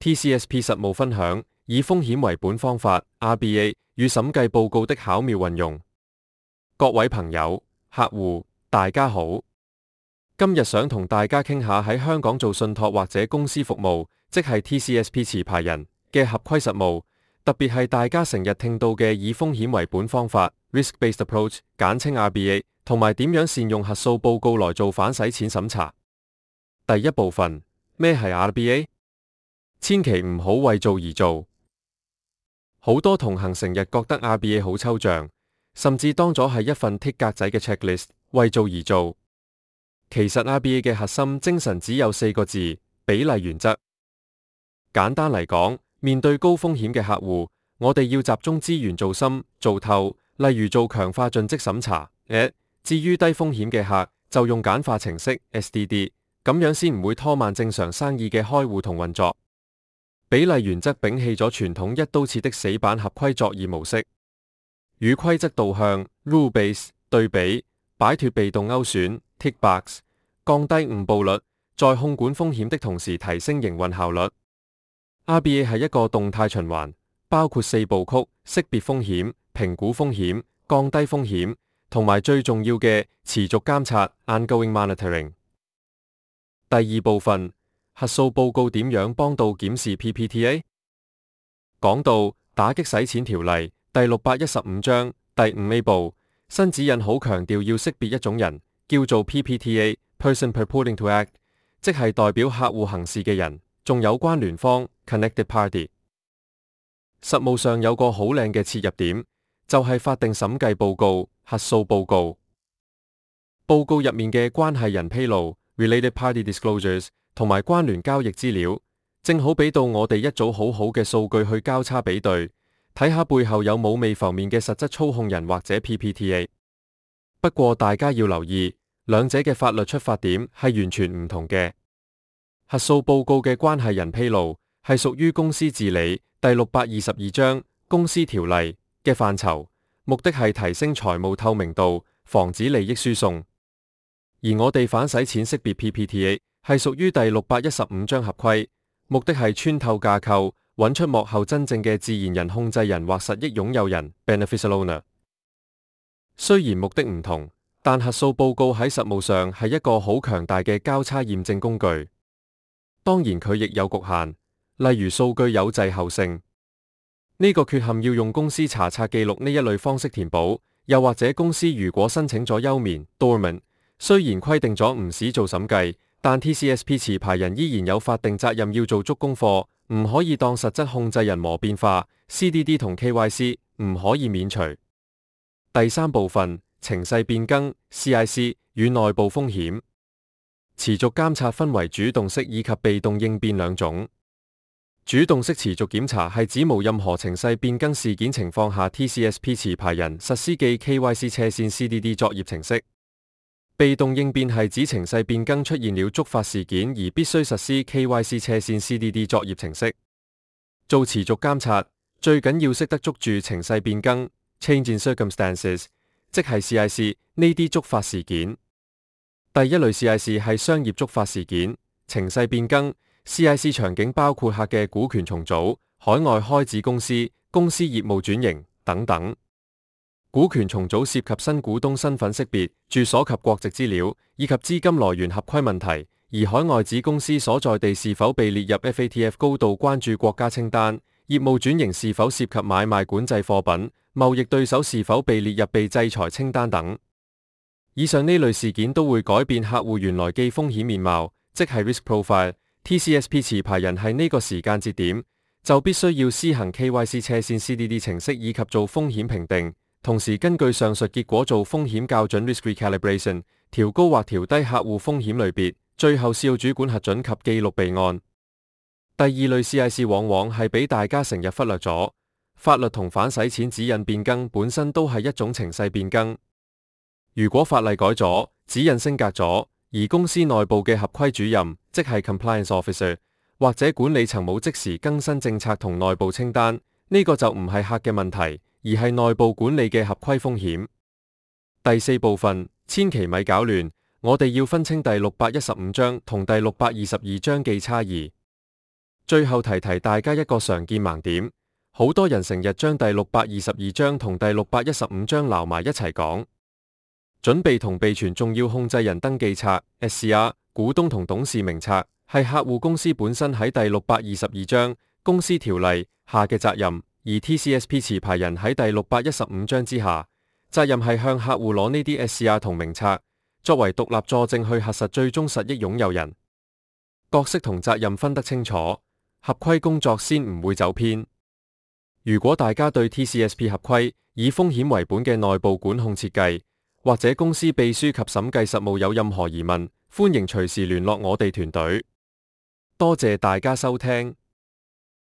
TCSP 實務分享，以風險為本方法 RBA 與審計報告的巧妙運用。各位朋友、客戶，大家好。今日想同大家傾下喺香港做信託或者公司服務，即係 TCSP 持牌人嘅合規實務，特別係大家成日聽到嘅以風險為本方法 Risk-Based Approach， 簡稱 RBA， 同埋點樣善用核數報告來做反洗錢審查。第一部分，咩係 RBA？ 千祈唔好為做而做。好多同行成日覺得 RBA 好抽象，甚至當咗係一份剔格仔嘅 checklist， 為做而做。其實 RBA 嘅核心精神只有4個字：比例原則。簡單嚟講，面對高風險嘅客戶，我哋要集中資源做深做透，例如做強化盡職審查。至於低風險嘅客，就用簡化程式 SDD， 咁樣先唔會拖慢正常生意嘅開戶同運作。比例原則摒棄咗傳統一刀切的死板合規作業模式，與規則導向 rule base 對比，擺脫被動勾選 tick box， 降低誤報率，在控管風險的同時提升營運效率。RBA 係一個動態循環，包括4部曲：識別風險、評估風險、降低風險，同埋最重要嘅持續監察 ongoing monitoring。第二部分，核數報告點樣幫到檢視 PPTA？ 講到打擊洗錢條例第615章第5A 部，新指引好強調要識別一種人，叫做 PPTA Person Purporting to Act， 即係代表客戶行事嘅人，仲有關聯方 Connected Party。 實務上有個好靚嘅切入點，就係法定審計報告核數報告。報告入面嘅關係人披露 Related Party Disclosures 同埋關聯交易資料，正好俾到我哋一組好好嘅數據去交叉比對，睇下背後有冇未浮面嘅實質操控人或者 PPTA。 不過大家要留意，兩者嘅法律出發點係完全唔同嘅。核數報告嘅關係人披露係屬於公司治理第622章公司條例嘅範疇，目的係提升財務透明度，防止利益輸送。而我哋反洗錢識別 PPTA 係屬於第615章合規，目的係穿透架構，揾出幕後真正嘅自然人控制人或實益擁有人 Beneficial Owner。 雖然目的唔同，但核數報告喺實務上係一個好強大嘅交叉驗證工具。當然佢亦有局限，例如數據有滯後性，呢個缺陷要用公司查冊記錄呢一類方式填補，又或者公司如果申請咗休眠 Dormant， 雖然規定咗唔使做審計，但 TCSP 持牌人依然有法定責任要做足功課，唔可以當實質控制人模變化 CDD 同 KYC 唔可以免除。第三部分，程勢變更 CIC 與內部風險。持續監察分為主動式以及被動應變兩種。主動式持續檢查係指無任何程勢變更事件情況下 TCSP 持牌人實施記 KYC 斜線 CDD 作業程式。被動應變係指程勢變更出現了觸發事件而必須實施 KYC 斜線 CDD 作業程式。做持續監察最緊要識得捉住程勢變更 Change in Circumstances， 即係 CIC 呢啲觸發事件。第一類 CIC 係商業觸發事件，程勢變更 CIC 場景包括客嘅股權重組、海外開子公司、公司業務轉型等等。股權重組涉及新股東身份識別、住所及國籍資料，以及資金來源合規問題，而海外子公司所在地是否被列入 FATF 高度關注國家清單，業務轉型是否涉及買賣管制貨品，貿易對手是否被列入被制裁清單等。以上呢類事件都會改變客戶原來既風險面貌，即係 risk profile。 TCSP 持牌人係呢個時間節點就必須要施行 KYC 斜線 CDD 程式以及做風險評定，同時根據上述結果做風險校準 risk recalibration， 調高或調低客戶風險類別，最後是要主管核准及記錄備案。第二類 CIC 往往係俾大家成日忽略咗，法律同反洗錢指引變更本身都係一種程勢變更。如果法例改咗，指引升格咗，而公司內部嘅合規主任，即係 compliance officer 或者管理層冇即時更新政策同內部清單，呢個就唔係客嘅問題，而係內部管理嘅合規風險。第四部分，千祈咪搞亂，我哋要分清第615章同第622章記差異。最後提大家一個常見盲點，好多人成日將第622章同第615章撈埋一齊講。準備同備存重要控制人登記冊 SCR、股東同董事名冊係客戶公司本身喺第622章公司條例下嘅責任，而 TCSP 持牌人喺第615章之下，責任係向客戶攞呢啲 SCR 同名冊，作為獨立佐證去核實最終實益擁有人。角色同責任分得清楚，合規工作先唔會走偏。如果大家對 TCSP 合規以風險為本嘅內部管控設計，或者公司秘書及審計實務有任何疑問，歡迎隨時聯絡我哋團隊。多謝大家收聽。